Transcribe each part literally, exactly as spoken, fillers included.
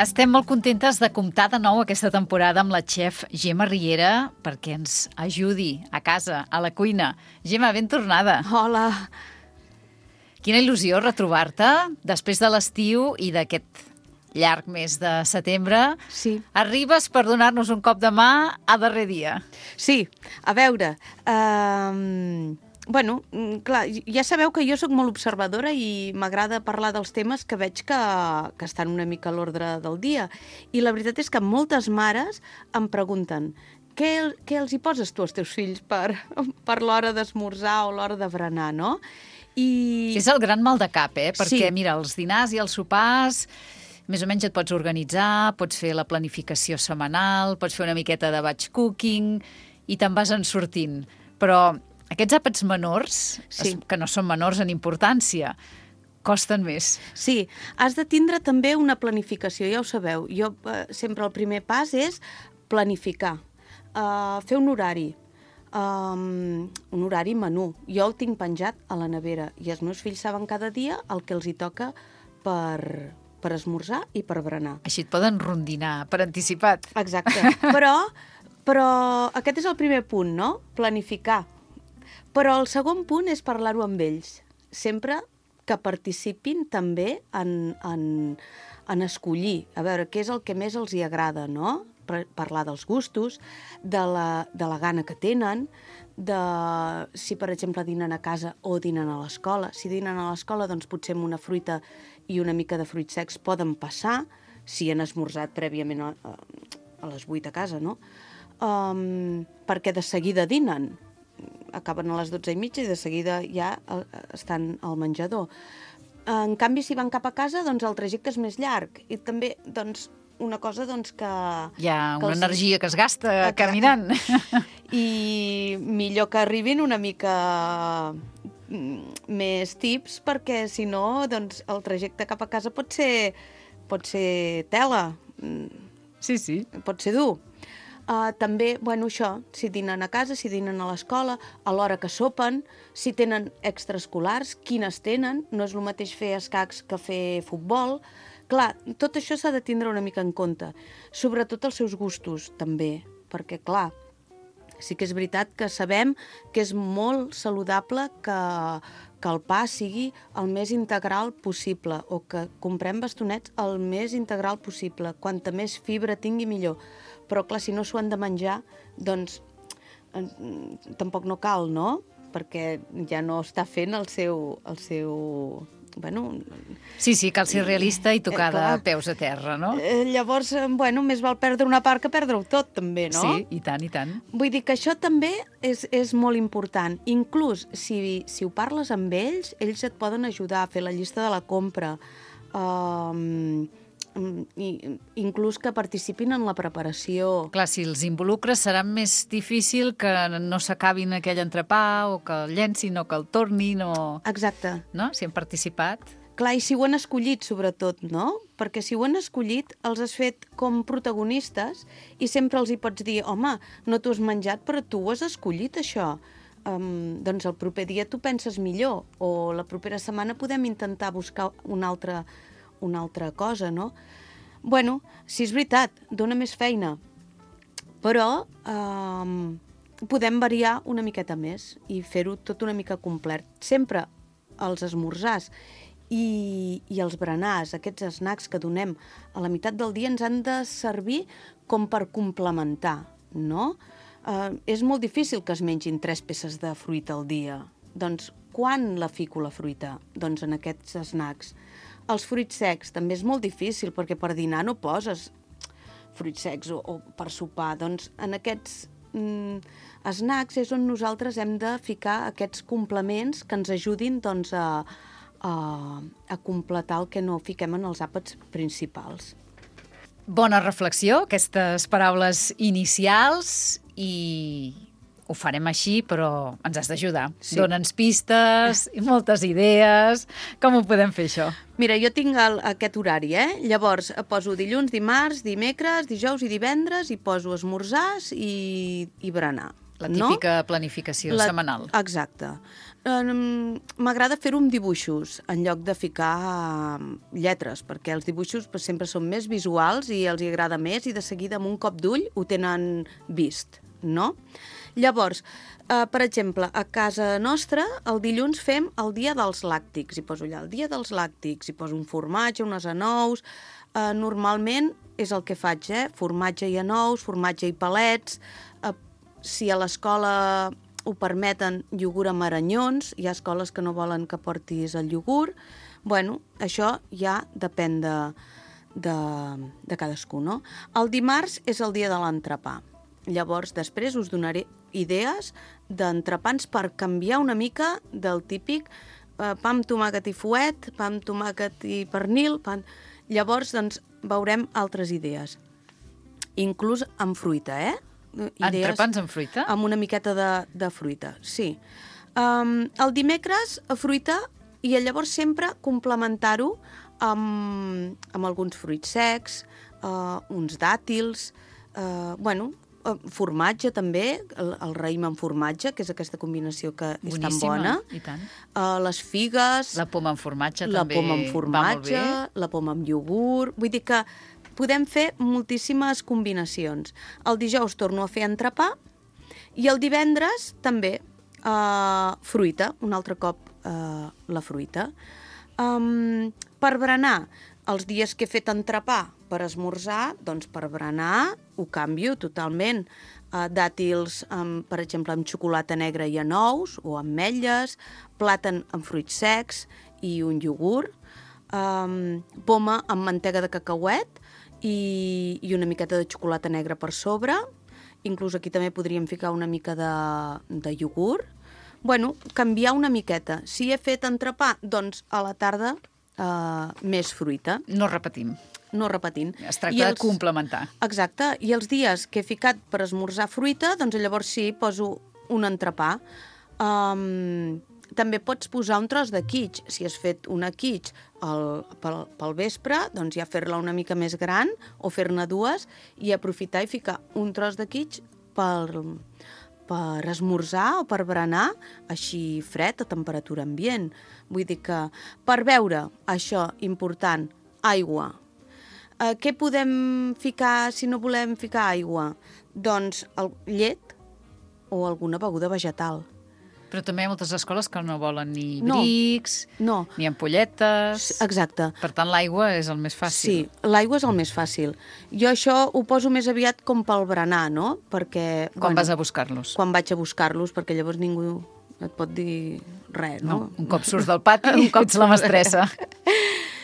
Estem molt contentes de comptar de nou aquesta temporada amb la xef Gemma Riera perquè ens ajudi a casa, a la cuina. Gemma, ben tornada. Hola. Quina il·lusió retrobar-te després de l'estiu i d'aquest llarg mes de setembre. Sí. Arribes per donar-nos un cop de mà a darrer dia. Sí, a veure... Um... Bueno, clar, ja sabeu que jo sóc molt observadora i m'agrada parlar dels temes que veig que, que estan una mica a l'ordre del dia. I la veritat és que moltes mares em pregunten què, què els hi poses tu als teus fills per, per l'hora d'esmorzar o l'hora de berenar, no? I... És el gran mal de cap, eh? Perquè, sí. Mira, els dinars i els sopars... Més o menys et pots organitzar, pots fer la planificació setmanal, pots fer una miqueta de batch cooking i te'n vas en sortint. Però aquests àpats menors, sí. que no són menors en importància, costen més. Sí, has de tindre també una planificació, ja ho sabeu. Jo eh, sempre el primer pas és planificar, uh, fer un horari, um, un horari menú. Jo el tinc penjat a la nevera i els meus fills saben cada dia el que els hi toca per... per esmorzar i per berenar. Així et poden rondinar per anticipat. Exacte. Però, però aquest és el primer punt, no? Planificar. Però el segon punt és parlar-ho amb ells. Sempre que participin també en, en, en escollir. A veure, què és el que més els hi agrada, no? Parlar dels gustos, de la, de la gana que tenen, de si, per exemple, dinen a casa o dinen a l'escola. Si dinen a l'escola, doncs potser amb una fruita i una mica de fruits secs poden passar, si han esmorzat prèviament a, a, a les vuit a casa, no? Um, perquè de seguida dinen. Acaben a les dotze i mitja i de seguida ja estan al menjador. En canvi, si van cap a casa, doncs el trajecte és més llarg. I també, doncs, una cosa doncs, que... Hi ha que una els... energia que es gasta caminant. I millor que arribin una mica més tips, perquè si no, doncs, el trajecte cap a casa pot ser, pot ser tela. Sí, sí. Pot ser dur. Uh, també, bueno, això, si dinen a casa, si dinen a l'escola, a l'hora que sopen, si tenen extraescolars, quines tenen, no és el mateix fer escacs que fer futbol. Clar, tot això s'ha de tindre una mica en compte, sobretot els seus gustos, també, perquè, clar, sí que és veritat que sabem que és molt saludable que, que el pa sigui el més integral possible o que comprem bastonets el més integral possible. Quanta més fibra tingui, millor. Però, clar, si no s'ho han de menjar, doncs eh, tampoc no cal, no? Perquè ja no està fent el seu... El seu bueno... Sí, sí, cal ser realista i tocar eh, de peus a terra, no? Eh, llavors, bueno, més val perdre una part que perdre-ho tot, també, no? Sí, i tant, i tant. Vull dir que això també és, és molt important. Inclús, si, si ho parles amb ells, ells et poden ajudar a fer la llista de la compra, um, i, inclús que participin en la preparació. Clar, si els involucres serà més difícil que no s'acabin aquell entrepà o que el llencin o que el tornin o... Exacte. No? Si han participat. Clar, i si ho han escollit, sobretot, no? Perquè si ho han escollit, els has fet com protagonistes i sempre els hi pots dir, home, no t'ho has menjat, però tu ho has escollit, això. Um, doncs el proper dia tu penses millor o la propera setmana podem intentar buscar una altra, una altra cosa, no? Bueno, si és veritat, dona més feina, però um, podem variar una miqueta més i fer-ho tot una mica complet. Sempre els esmorzars i, i els berenars, aquests snacks que donem a la meitat del dia ens han de servir com per complementar, no? Uh, és molt difícil que es mengin tres peces de fruita al dia. Doncs quan la fico la fruita? Doncs en aquests snacks. Els fruits secs també és molt difícil perquè per dinar no poses fruits secs o, o per sopar. Doncs en aquests mm, snacks és on nosaltres hem de ficar aquests complements que ens ajudin doncs, a, a, a completar el que no fiquem en els àpats principals. Bona reflexió, aquestes paraules inicials, i ho farem així, però ens has d'ajudar. Sí. Dóna'ns pistes i moltes idees. Com ho podem fer, això? Mira, jo tinc el, aquest horari, eh? Llavors, poso dilluns, dimarts, dimecres, dijous i divendres i poso esmorzars i, i berenar. La no? típica planificació La... setmanal. Exacte. Um, M'agrada fer-ho amb dibuixos, en lloc de ficar um, lletres, perquè els dibuixos pues, sempre són més visuals i els hi agrada més i de seguida amb un cop d'ull ho tenen vist, no? Llavors, uh, per exemple, a casa nostra el dilluns fem el dia dels làctics, hi poso allà el dia dels làctics, hi poso un formatge, unes anous, uh, normalment és el que faig, eh? Formatge i anous, formatge i palets, uh, si a l'escola ho permeten, iogurt amb aranyons, hi ha escoles que no volen que portis el iogurt. Bueno, això ja depèn de, de, de cadascú, no? El dimarts és el dia de l'entrepà. Llavors, després us donaré idees d'entrepans per canviar una mica del típic eh, pa amb tomàquet i fuet, pa amb tomàquet i pernil... Pa... Llavors, doncs, veurem altres idees. Inclús amb fruita, eh? Idees Entrepans amb fruita? Amb una miqueta de, de fruita, sí. Um, el dimecres, a fruita, i llavors sempre complementar-ho amb, amb alguns fruits secs, uh, uns dàtils, uh, bueno, uh, formatge també, el, el raïm amb formatge, que és aquesta combinació que és Boníssima, tan bona. i tant. Uh, les figues... La poma amb formatge la també poma amb formatge, va molt bé. la poma amb iogurt... Vull dir que podem fer moltíssimes combinacions. El dijous torno a fer entrepà i el divendres també uh, fruita, un altre cop uh, la fruita. Um, per berenar, els dies que he fet entrepà per esmorzar, doncs per berenar ho canvio totalment. Uh, dàtils, um, per exemple, amb xocolata negra i anous o ametlles, plàtan amb fruits secs i un iogurt, um, poma amb mantega de cacauet, I, i una miqueta de xocolata negra per sobre. Inclús aquí també podríem ficar una mica de, de iogurt. Bueno, canviar una miqueta. Si he fet entrepà, doncs a la tarda eh, més fruita. No repetim. No repetint. Es tracta els... de complementar. Exacte. I els dies que he ficat per esmorzar fruita, doncs llavors sí, poso un entrepà. Um, també pots posar un tros de quitx. Si has fet una quitx el, pel, pel vespre, doncs ja fer-la una mica més gran o fer-ne dues i aprofitar i ficar un tros de quitx per, per esmorzar o per berenar així fred, a temperatura ambient. Vull dir que per beure, això important, aigua. Eh, què podem ficar si no volem ficar aigua? Doncs el, llet o alguna beguda vegetal. Però també hi ha moltes escoles que no volen ni No, brics, no. ni ampolletes... Exacte. Per tant, l'aigua és el més fàcil. Sí, l'aigua és el més fàcil. Jo això ho poso més aviat com pel berenar, no? Perquè... Quan bueno, vas a buscar-los. Quan vaig a buscar-los, perquè llavors ningú et pot dir res, no? No, un cop surts del pati, un cop ets la mestressa.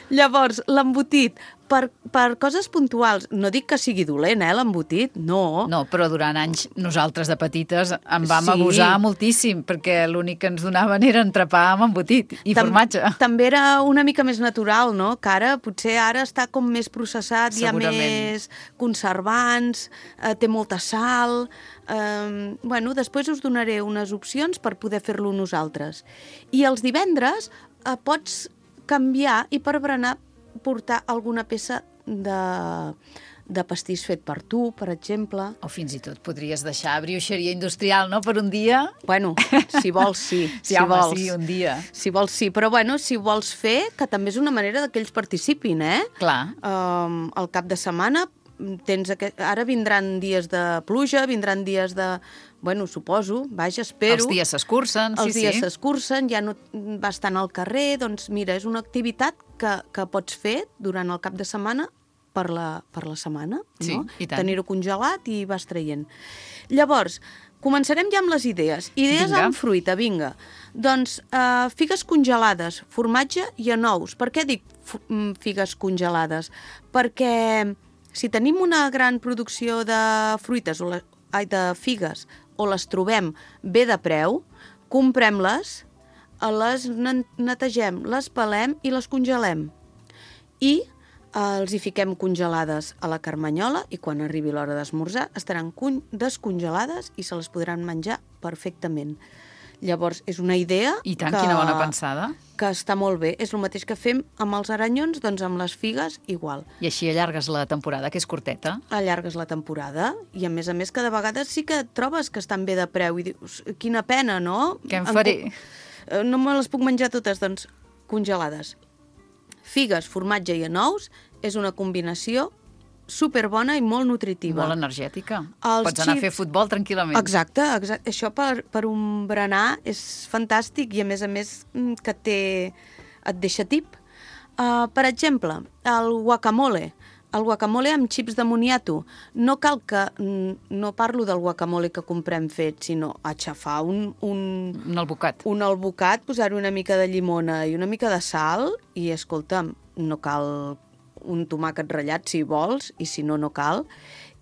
Llavors, l'embotit, per, per coses puntuals, no dic que sigui dolent, eh, l'embotit, no. No, però durant anys nosaltres de petites en vam Sí. abusar moltíssim, perquè l'únic que ens donaven era entrepà amb embotit i Tam formatge. També era una mica més natural, no? Que ara, potser ara està com més processat, hi ha Segurament. més conservants, eh, té molta sal... Eh, bueno, després us donaré unes opcions per poder fer-lo nosaltres. I els divendres eh, pots canviar i per berenar portar alguna peça de, de pastís fet per tu, per exemple. O fins i tot podries deixar brioixeria industrial, no?, per un dia. Bueno, si vols, sí. Sí, si home, vols. sí, un dia. Si vols, sí. Però, bueno, si vols fer, que també és una manera que ells participin, eh? Clar. Um, al cap de setmana tens aquest... Ara vindran dies de pluja, vindran dies de... Bueno, suposo, vaja, espero... Els dies s'escurcen, sí, Els dies sí. s'escurcen, ja no vas tant al carrer, doncs mira, és una activitat que, que pots fer durant el cap de setmana per la, per la setmana, Sí, no? i tant. Tenir-ho congelat i vas traient. Llavors, començarem ja amb les idees. Idees Vinga. amb fruita, vinga. Doncs uh, figues congelades, formatge i anous. Per què dic figues congelades? Perquè si tenim una gran producció de fruites o la, ai, de figues o les trobem bé de preu, comprem-les, les netegem, les pelem i les congelem. I els hi fiquem congelades a la carmanyola i quan arribi l'hora d'esmorzar estaran descongelades i se les podran menjar perfectament. Llavors, és una idea... I tant, que, quina bona pensada. Que està molt bé. És el mateix que fem amb els aranyons, doncs amb les figues, igual. I així allargues la temporada, que és curteta. Allargues la temporada i, a més a més, cada vegada sí que trobes que estan bé de preu i dius, quina pena, no? Què em faré? En... No me les puc menjar totes, doncs, congelades. Figues, formatge i anous és una combinació superbona i molt nutritiva. Molt energètica. Els Pots anar xips... a fer futbol tranquil·lament. Exacte, exacte. Això per, per un berenar és fantàstic i, a més a més, que té... et deixa tip. Uh, per exemple, el guacamole. El guacamole amb xips de moniato. No cal que... No parlo del guacamole que comprem fet, sinó aixafar un... Un, un albocat. Un albocat, posar-hi una mica de llimona i una mica de sal i, escolta'm, no cal un tomàquet ratllat si vols, i si no, no cal.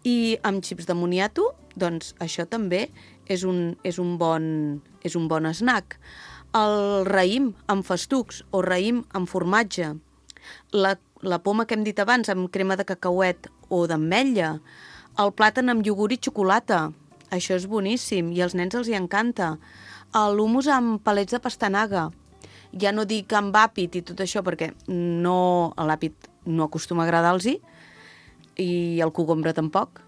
I amb xips de moniato, doncs això també és un, és un, bon, és un bon snack. El raïm amb festucs o raïm amb formatge. La, la poma que hem dit abans amb crema de cacauet o d'ametlla. El plàtan amb iogurt i xocolata. Això és boníssim i als nens els hi encanta. L'humus amb palets de pastanaga. Ja no dic amb àpid i tot això perquè no, l'àpid no acostuma a agradar-los i el cogombre tampoc,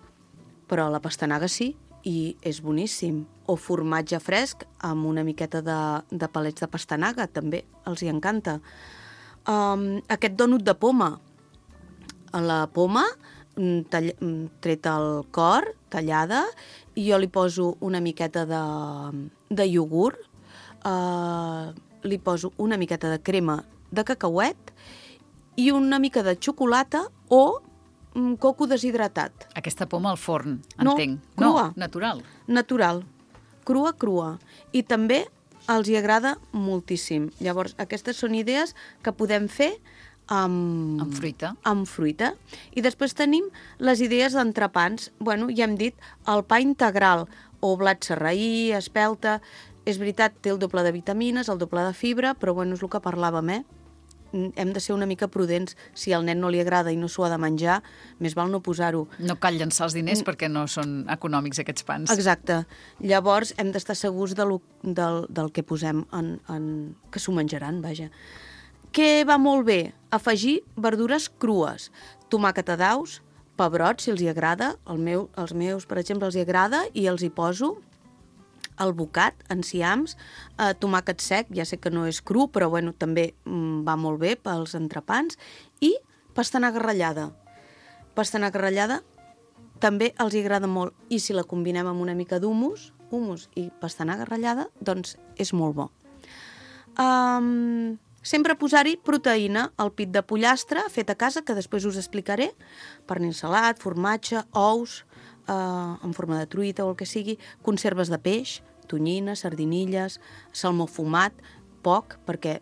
però la pastanaga sí i és boníssim. O formatge fresc amb una miqueta de, de palets de pastanaga, també els hi encanta. Um, aquest dònut de poma. La poma, tall, treta el cor, tallada, i jo li poso una miqueta de, de iogurt, uh, li poso una miqueta de crema de cacauet i una mica de xocolata o coco deshidratat. Aquesta poma al forn, no, entenc. Crua. No, natural. Natural. Crua, crua. I també els hi agrada moltíssim. Llavors, aquestes són idees que podem fer amb... Amb fruita. Amb fruita. I després tenim les idees d'entrepans. Bueno, ja hem dit, el pa integral, o blat sarraí, espelta... És veritat, té el doble de vitamines, el doble de fibra, però bueno, és el que parlàvem, eh? Hem de ser una mica prudents. Si al nen no li agrada i no s'ho ha de menjar, més val no posar-ho. No cal llençar els diners perquè no són econòmics aquests pans. Exacte. Llavors hem d'estar segurs de lo, del, del que posem en, en... que s'ho menjaran, vaja. Què va molt bé? Afegir verdures crues. Tomàquet a daus, pebrot, si els hi agrada. El meu, els meus, per exemple, els hi agrada i els hi poso albocat, enciams, eh, tomàquet sec, ja sé que no és cru, però bueno, també mm, va molt bé pels entrepans, i pastanaga ratllada. Pastanaga ratllada també els hi agrada molt, i si la combinem amb una mica d'humus, humus i pastanaga ratllada, doncs és molt bo. Um, sempre posar-hi proteïna, el pit de pollastre fet a casa, que després us explicaré, pernil salat, formatge, ous, Uh, en forma de truita o el que sigui, conserves de peix, tonyina, sardinilles, salmó fumat, poc, perquè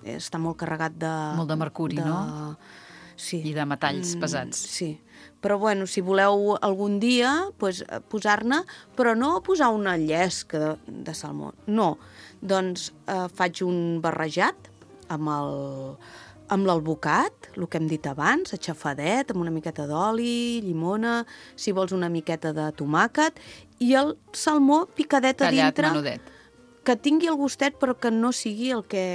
està molt carregat de... Molt de mercuri, de... no? Sí. I de metalls pesats. Sí. Però, bueno, si voleu algun dia pues, posar-ne, però no posar una llesca de, de salmó. No. Doncs eh, faig un barrejat amb el... amb l'albocat, el que hem dit abans, aixafadet, amb una miqueta d'oli, llimona, si vols una miqueta de tomàquet, i el salmó picadet a tallat, dintre, menudet. Que tingui el gustet però que no sigui el que,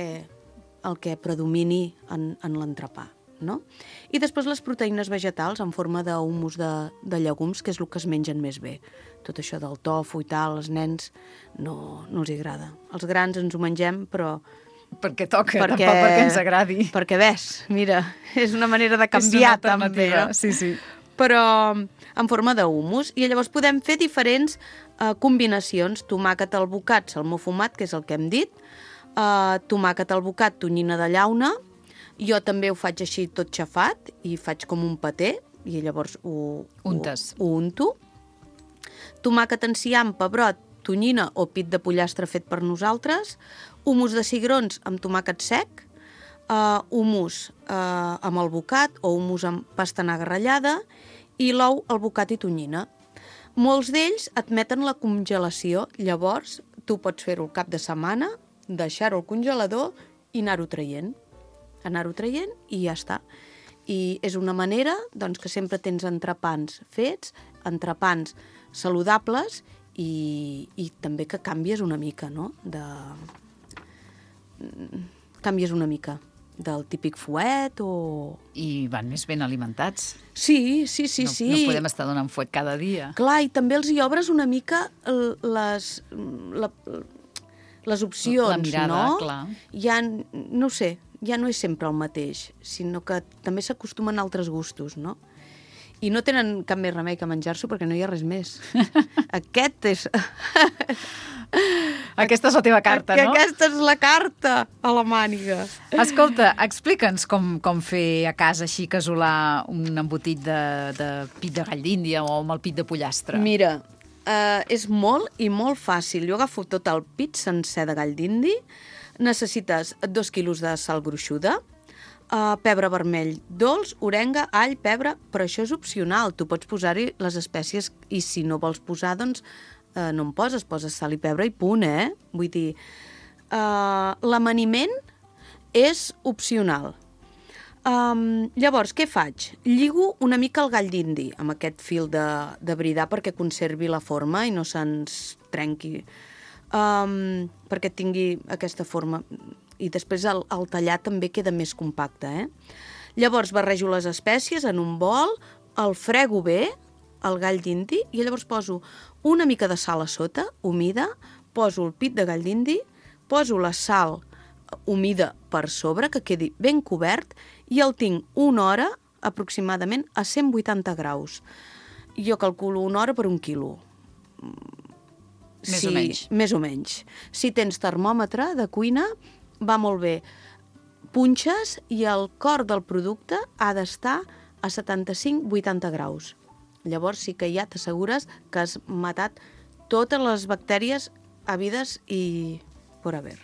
el que predomini en, en l'entrepà. No? I després les proteïnes vegetals en forma d'humus de, de llegums, que és el que es mengen més bé. Tot això del tofu i tal, als nens no, no els agrada. Els grans ens ho mengem, però... Perquè toca, perquè, tampoc perquè ens agradi. Perquè ves, mira, és una manera de canviar també. No? Sí, sí. Però en forma d'humus. I llavors podem fer diferents eh, combinacions. Tomàquet albocat, salmó fumat, que és el que hem dit. Eh, tomàquet albocat, tonyina de llauna. Jo també ho faig així tot xafat i faig com un paté i llavors ho, Untes. ho, ho unto. Tomàquet enciam, pebrot, tonyina o pit de pollastre fet per nosaltres, humus de cigrons amb tomàquet sec, uh, humus uh, amb albocat o humus amb pastanaga ratllada i l'ou, albocat i tonyina. Molts d'ells admeten la congelació, llavors tu pots fer-ho el cap de setmana, deixar-ho al congelador i anar-ho traient. Anar-ho traient i ja està. I és una manera doncs, que sempre tens entrepans fets, entrepans saludables i, i també que canvies una mica, no? De... Canvies una mica del típic fuet o... I van més ben alimentats. Sí, sí, sí, no, sí. No podem estar donant fuet cada dia. Clar, i també els hi obres una mica les, la, les opcions, la mirada, no? clar. Ja, no ho sé, ja no és sempre el mateix, sinó que també s'acostumen a altres gustos, no? I no tenen cap més remei que menjar-s'ho perquè no hi ha res més. Aquest és... Aquesta és la teva carta, no? Aquesta és la carta a la màniga. Escolta, explica'ns com, com fer a casa així casolà un embotit de, de pit de gall d'Índia o amb el pit de pollastre. Mira, eh, és molt i molt fàcil. Jo agafo tot el pit sencer de gall d'indi, necessites dos quilos de sal gruixuda, Uh, pebre vermell dolç, orenga, all, pebre, però això és opcional. Tu pots posar-hi les espècies i si no vols posar, doncs uh, no en poses, poses sal i pebre i punt, eh? Vull dir, uh, l'amaniment és opcional. Um, llavors, què faig? Lligo una mica el gall d'indi amb aquest fil de, de bridar perquè conservi la forma i no se'ns trenqui, um, perquè tingui aquesta forma. I després el, el tallar també queda més compacte, eh? Llavors barrejo les espècies en un bol, el frego bé, el gall d'indi, i llavors poso una mica de sal a sota, humida, poso el pit de gall d'indi, poso la sal humida per sobre, que quedi ben cobert, i el tinc una hora aproximadament a cent vuitanta graus. Jo calculo una hora per un quilo. Més sí, o menys. Més o menys. Si tens termòmetre de cuina, va molt bé. Punxes i el cor del producte ha d'estar a setanta-cinc a vuitanta graus. Llavors sí que ja t'assegures que has matat totes les bactèries habides i por haver.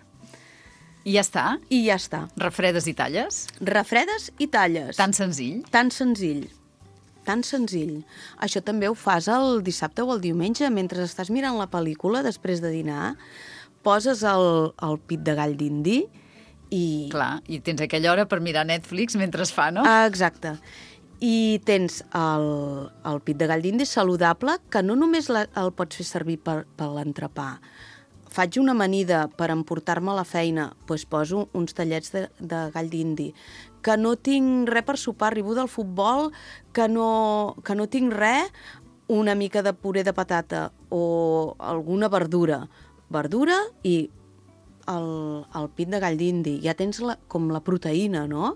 I ja està? I ja està. Refredes i talles? Refredes i talles. Tan senzill? Tan senzill. Tan senzill. Això també ho fas el dissabte o el diumenge, mentre estàs mirant la pel·lícula després de dinar, poses el, el pit de gall d'indi i... Clar, i tens aquella hora per mirar Netflix mentre es fa, no? Ah, exacte. I tens el, el pit de gall d'indi saludable, que no només la, el pots fer servir per, per l'entrepà. Faig una amanida per emportar-me a la feina, doncs poso uns tallets de, de gall d'indi. Que no tinc res per sopar, arribo del futbol, que no, que no tinc res, una mica de puré de patata o alguna verdura. Verdura i el, el pit de gall d'indi. Ja tens la, com la proteïna, no?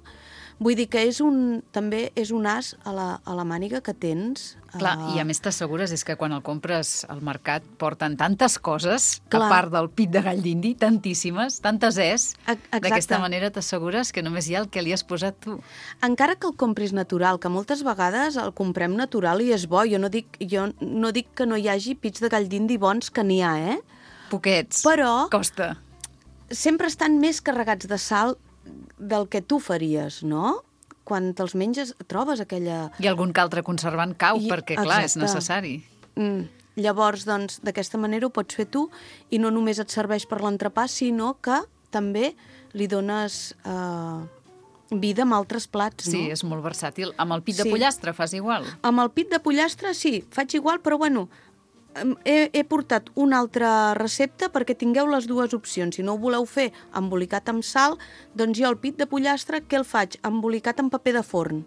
Vull dir que és un, també és un as a la, a la màniga que tens. Clar, uh... i a més t'assegures és que quan el compres al mercat porten tantes coses, Clar. A part del pit de gall d'indi, tantíssimes, tantes és. Exacte. D'aquesta manera t'assegures que només hi ha el que li has posat tu. Encara que el compris natural, que moltes vegades el comprem natural i és bo, jo no dic, jo no dic que no hi hagi pits de gall d'indi bons, que n'hi ha, eh? Poquets. Però... Costa. Sempre estan més carregats de sal del que tu faries, no? Quan te'ls menges trobes aquella... I algun que altre conservant cau, I, perquè, clar, exacte. És necessari. Mm. Llavors, doncs, d'aquesta manera ho pots fer tu i no només et serveix per l'entrepà, sinó que també li dones eh, vida amb altres plats, no? Sí, és molt versàtil. Amb el pit de sí. pollastre fas igual? Amb el pit de pollastre, sí, faig igual, però bueno... He, he portat una altra recepta perquè tingueu les dues opcions. Si no ho voleu fer embolicat amb sal, doncs jo el pit de pollastre, què el faig? Embolicat amb paper de forn.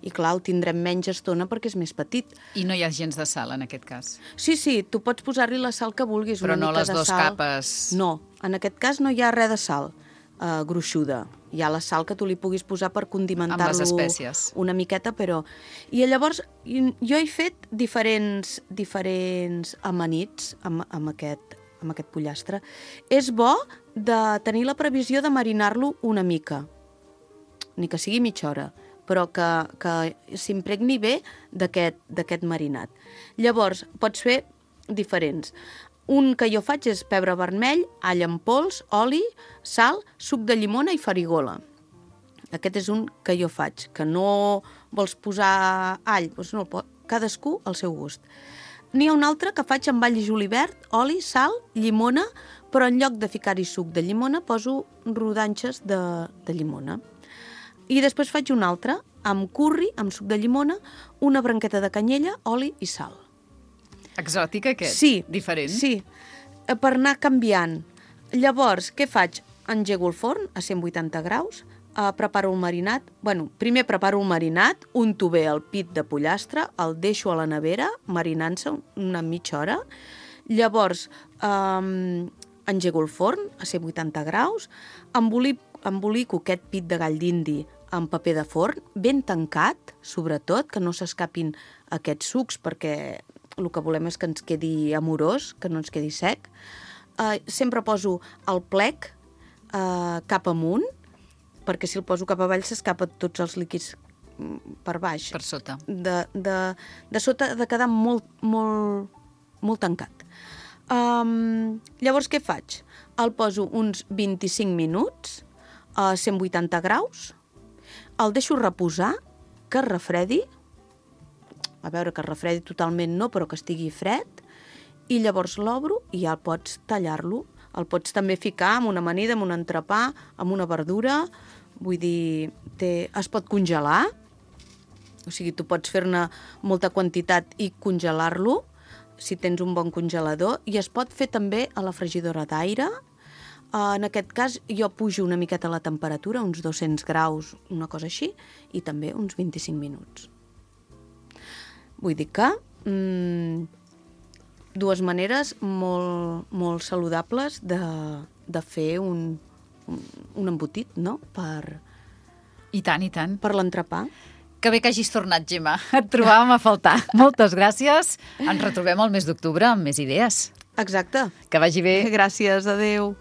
I clar, el tindrem menys estona perquè és més petit. I no hi ha gens de sal, en aquest cas? Sí, sí, tu pots posar-li la sal que vulguis. Però una no mica les de dues sal. capes? No, en aquest cas no hi ha res de sal uh, gruixuda. Hi ha la sal que tu li puguis posar per condimentar-lo amb les espècies. Una miqueta, però... I llavors jo he fet diferents, diferents amanits amb, amb, aquest, amb aquest pollastre. És bo de tenir la previsió de marinar-lo una mica, ni que sigui mitja hora, però que, que s'impregni bé d'aquest marinat. Llavors, pots fer diferents. Un que jo faig és pebre vermell, all en pols, oli, sal, suc de llimona i farigola. Aquest és un que jo faig, que no vols posar all, doncs no, cadascú al seu gust. N'hi ha un altre que faig amb all i julivert, oli, sal, llimona, però en lloc de ficar-hi suc de llimona poso rodanxes de, de llimona. I després faig un altre amb curri, amb suc de llimona, una branqueta de canyella, oli i sal. Exòtic, aquest? Sí. Diferent? Sí, per anar canviant. Llavors, què faig? Engego el forn a cent vuitanta graus, eh, preparo el marinat. Bueno, primer preparo el marinat, unto bé el pit de pollastre, el deixo a la nevera, marinant-se una mitja hora. Llavors, eh, engego el forn a cent vuitanta graus, embolico, embolico aquest pit de gall d'indi amb paper de forn, ben tancat, sobretot, que no s'escapin aquests sucs, perquè el que volem és que ens quedi amorós, que no ens quedi sec. Uh, sempre poso el plec uh, cap amunt, perquè si el poso cap avall s'escapen tots els líquids per baix. Per sota. De, de, de sota ha de quedar molt, molt, molt tancat. Um, llavors què faig? El poso uns vint-i-cinc minuts a cent vuitanta graus, el deixo reposar, que es refredi, a veure que es refredi totalment no, però que estigui fred, i llavors l'obro i ja pots tallar-lo. El pots també ficar amb una amanida, amb un entrepà, amb una verdura, vull dir, té, es pot congelar, o sigui, tu pots fer-ne molta quantitat i congelar-lo, si tens un bon congelador, i es pot fer també a la fregidora d'aire. En aquest cas, jo pujo una miqueta la temperatura, uns dos-cents graus, una cosa així, i també uns vint-i-cinc minuts. Vull dir que mmm, dues maneres molt, molt saludables de, de fer un, un, un embotit, no?, per, I tant, i tant. per l'entrepà. Que bé que hagis tornat, Gemma. Et trobàvem a faltar. Moltes gràcies. Ens retrobem el mes d'octubre amb més idees. Exacte. Que vagi bé. Gràcies, adeu.